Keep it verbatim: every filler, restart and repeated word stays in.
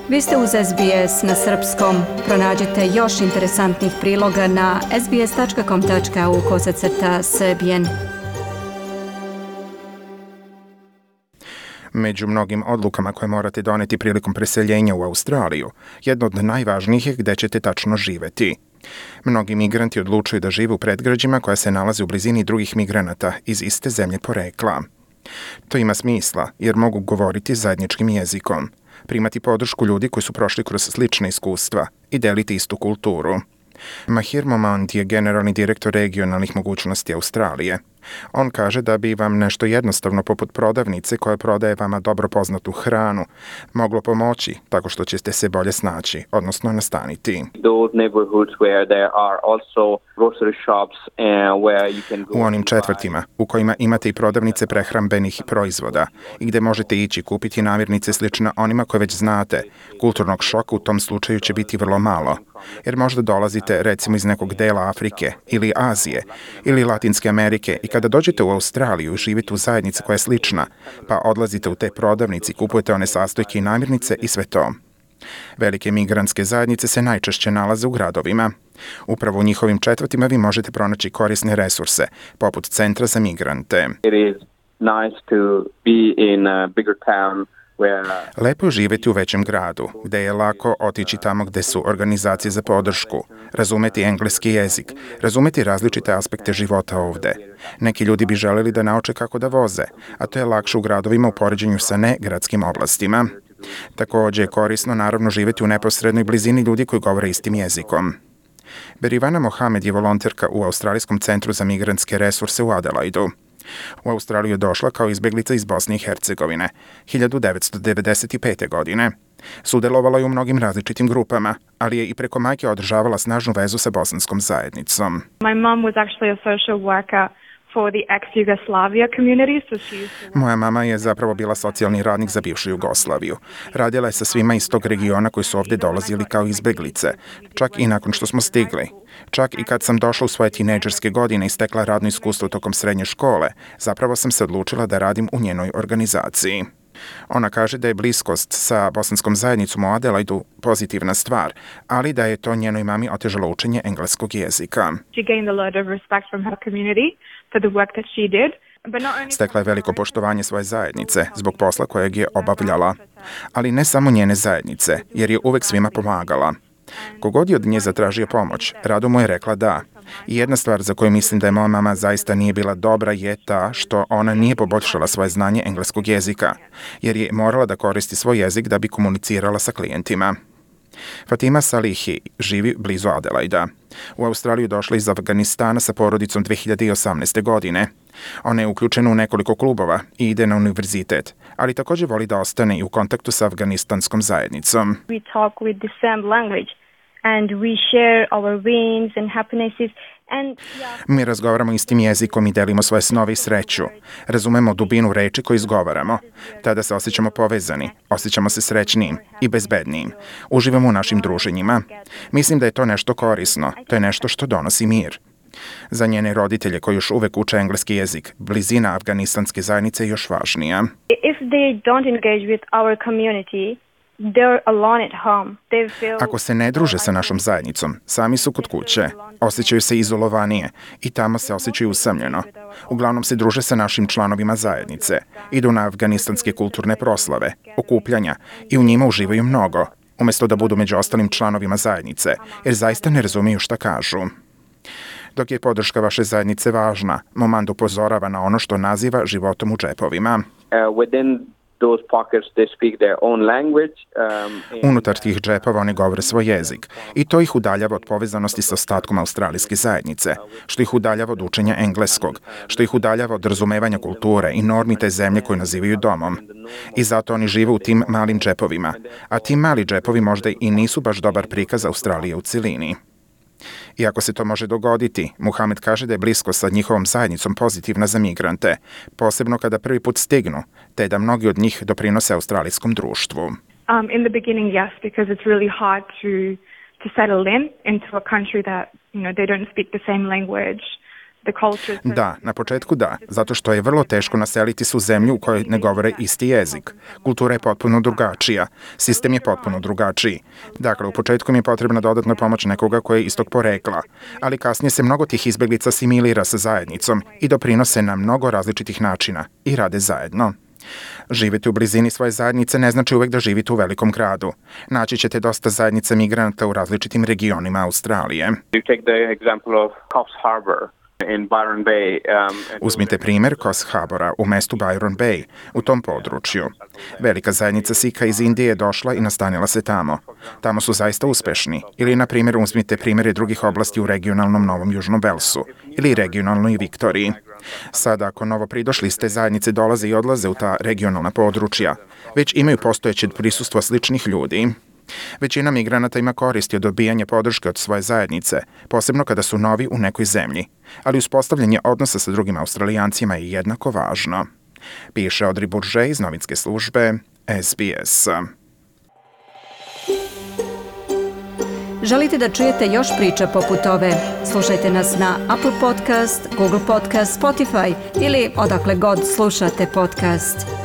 Vi ste uz S B S na srpskom. Pronađite još interesantnih priloga na sbs.com.au kosacrta srbijen. Među mnogim odlukama koje morate doneti prilikom preseljenja u Australiju, jedno od najvažnijih je gde ćete tačno živeti. Mnogi migranti odlučuju da žive u predgrađima koja se nalaze u blizini drugih migranata iz iste zemlje porekla. To ima smisla jer mogu govoriti zajedničkim jezikom, primati podršku ljudi koji su prošli kroz slične iskustva i deliti istu kulturu. Mahir Momand je generalni direktor regionalnih mogućnosti Australije. On kaže da bi vam nešto jednostavno poput prodavnice koja prodaje vama dobro poznatu hranu moglo pomoći tako što ćete se bolje snaći, odnosno nastaniti. U onim četvrtima u kojima imate i prodavnice prehrambenih proizvoda i gde možete ići kupiti namirnice slične onima koje već znate, kulturnog šoka u tom slučaju će biti vrlo malo. Jer možda dolazite recimo iz nekog dela Afrike ili Azije ili Latinske Amerike i kada dođete u Australiju i živite u zajednici koja je slična, pa odlazite u te prodavnice i kupujete one sastojke i namirnice i sve to. Velike migrantske zajednice se najčešće nalaze u gradovima. Upravo u njihovim četvrtima vi možete pronaći korisne resurse, poput centra za migrante. Lepo je živjeti u većem gradu, gde je lako otići tamo gde su organizacije za podršku, razumeti engleski jezik, razumeti različite aspekte života ovde. Neki ljudi bi želeli da nauče kako da voze, a to je lakše u gradovima u poređenju sa negradskim oblastima. Također je korisno naravno živjeti u neposrednoj blizini ljudi koji govore istim jezikom. Berivana Mohamed je volonterka u Australijskom centru za migrantske resurse u Adelaidu. U Australiju je došla kao izbeglica iz Bosne i Hercegovine hiljadu devetsto devedeset pete. godine. Sudjelovala je u mnogim različitim grupama, ali je i preko majke održavala snažnu vezu sa bosanskom zajednicom. My mom was actually a social worker for the ex-Yugoslavia community, so she used to... Moja mama je zapravo bila socijalni radnik za bivšu Jugoslaviju. Radila je sa svima iz tog regiona koji su ovdje dolazili kao izbeglice, čak i nakon što smo stigli. Čak i kad sam došla u svoje tinejdžerske godine i stekla radno iskustvo tokom srednje škole, zapravo sam se odlučila da radim u njenoj organizaciji. Ona kaže da je bliskost sa bosanskom zajednicom u Adelaidu pozitivna stvar, ali da je to njenoj mami otežalo učenje engleskog jezika. She gained a lot of respect from her community for the work that she did. Stekla je veliko poštovanje svoje zajednice zbog posla kojeg je obavljala, ali ne samo njene zajednice, jer je uvek svima pomagala. Kogod je od nje zatražio pomoć, rado mu je rekla da. I jedna stvar za koju mislim da je moja mama zaista nije bila dobra je ta što ona nije poboljšala svoje znanje engleskog jezika, jer je morala da koristi svoj jezik da bi komunicirala sa klijentima. Fatima Salihi živi blizu Adelaida. U Australiju došla iz Afganistana sa porodicom dve hiljade osamnaeste. godine. Ona je uključena u nekoliko klubova i ide na univerzitet, ali također voli da ostane i u kontaktu sa afganistanskom zajednicom. We talk with the same language and we share our wins and happinesses. And, yeah. Mi razgovaramo istim jezikom i delimo svoje snove i sreću. Razumemo dubinu reči koju izgovaramo. Tada se osjećamo povezani, osjećamo se srećnijim i bezbednijim. Uživamo u našim druženjima. Mislim da je to nešto korisno. To je nešto što donosi mir. Za njene roditelje koji još uvek uče engleski jezik, blizina afganistanske zajednice je još važnija. If they don't engage with our community, they're alone at home. They feel... Ako se ne druže sa našom zajednicom, sami su kod kuće, osjećaju se izolovanije i tamo se osjećaju usamljeno. Uglavnom se druže sa našim članovima zajednice, idu na afganistanske kulturne proslave, okupljanja i u njima uživaju mnogo, umjesto da budu među ostalim članovima zajednice, jer zaista ne razumiju šta kažu. Dok je podrška vaše zajednice važna, Momand upozorava na ono što naziva životom u džepovima. Unutar tih džepova oni govore svoj jezik i to ih udaljava od povezanosti sa ostatkom australijske zajednice, što ih udaljava od učenja engleskog, što ih udaljava od razumevanja kulture i normi te zemlje koju nazivaju domom. I zato oni žive u tim malim džepovima, a ti mali džepovi možda i nisu baš dobar prikaz Australije u cilini. Iako se to može dogoditi, Muhamed kaže da je blisko sa njihovom zajednicom pozitivna za migrante, posebno kada prvi put stignu, te da mnogi od njih doprinose australijskom društvu. Um, in the beginning, yes, because it's really hard to to settle in into a country that, you know, they don't speak the same language. the cultures. Da, na početku da, zato što je vrlo teško naseliti se u zemlju u kojoj ne govore isti jezik. Kultura je potpuno drugačija, sistem je potpuno drugačiji. Dakle, u početku mi je potrebna dodatna pomoć nekoga koji je istog porekla, ali kasnije se mnogo tih izbeglica asimilira sa zajednicom i doprinose na mnogo različitih načina i rade zajedno. Živjeti u blizini svoje zajednice ne znači uvek da živite u velikom gradu. Naći ćete dosta zajednica migranata u različitim regionima Australije. Uzmite primjer Coffs Harbora u mestu Byron Bay, u tom području. Velika zajednica Sikha iz Indije je došla i nastanila se tamo. Tamo su zaista uspešni. Ili, na primjer, uzmite primjere drugih oblasti u regionalnom Novom Južnom Velsu ili regionalnoj Viktoriji. Sada, ako novo pridošli iz te zajednice dolaze i odlaze u ta regionalna područja, već imaju postojeće prisustvo sličnih ljudi. Većina migranata ima koristi od dobijanja podrške od svoje zajednice, posebno kada su novi u nekoj zemlji, ali uspostavljanje odnosa sa drugim Australijancima je jednako važno. Piše Audrey Bourget iz novinske službe S B S. Želite da čujete još priča poput ove? Slušajte nas na Apple Podcast, Google Podcast, Spotify ili odakle god slušate podcast.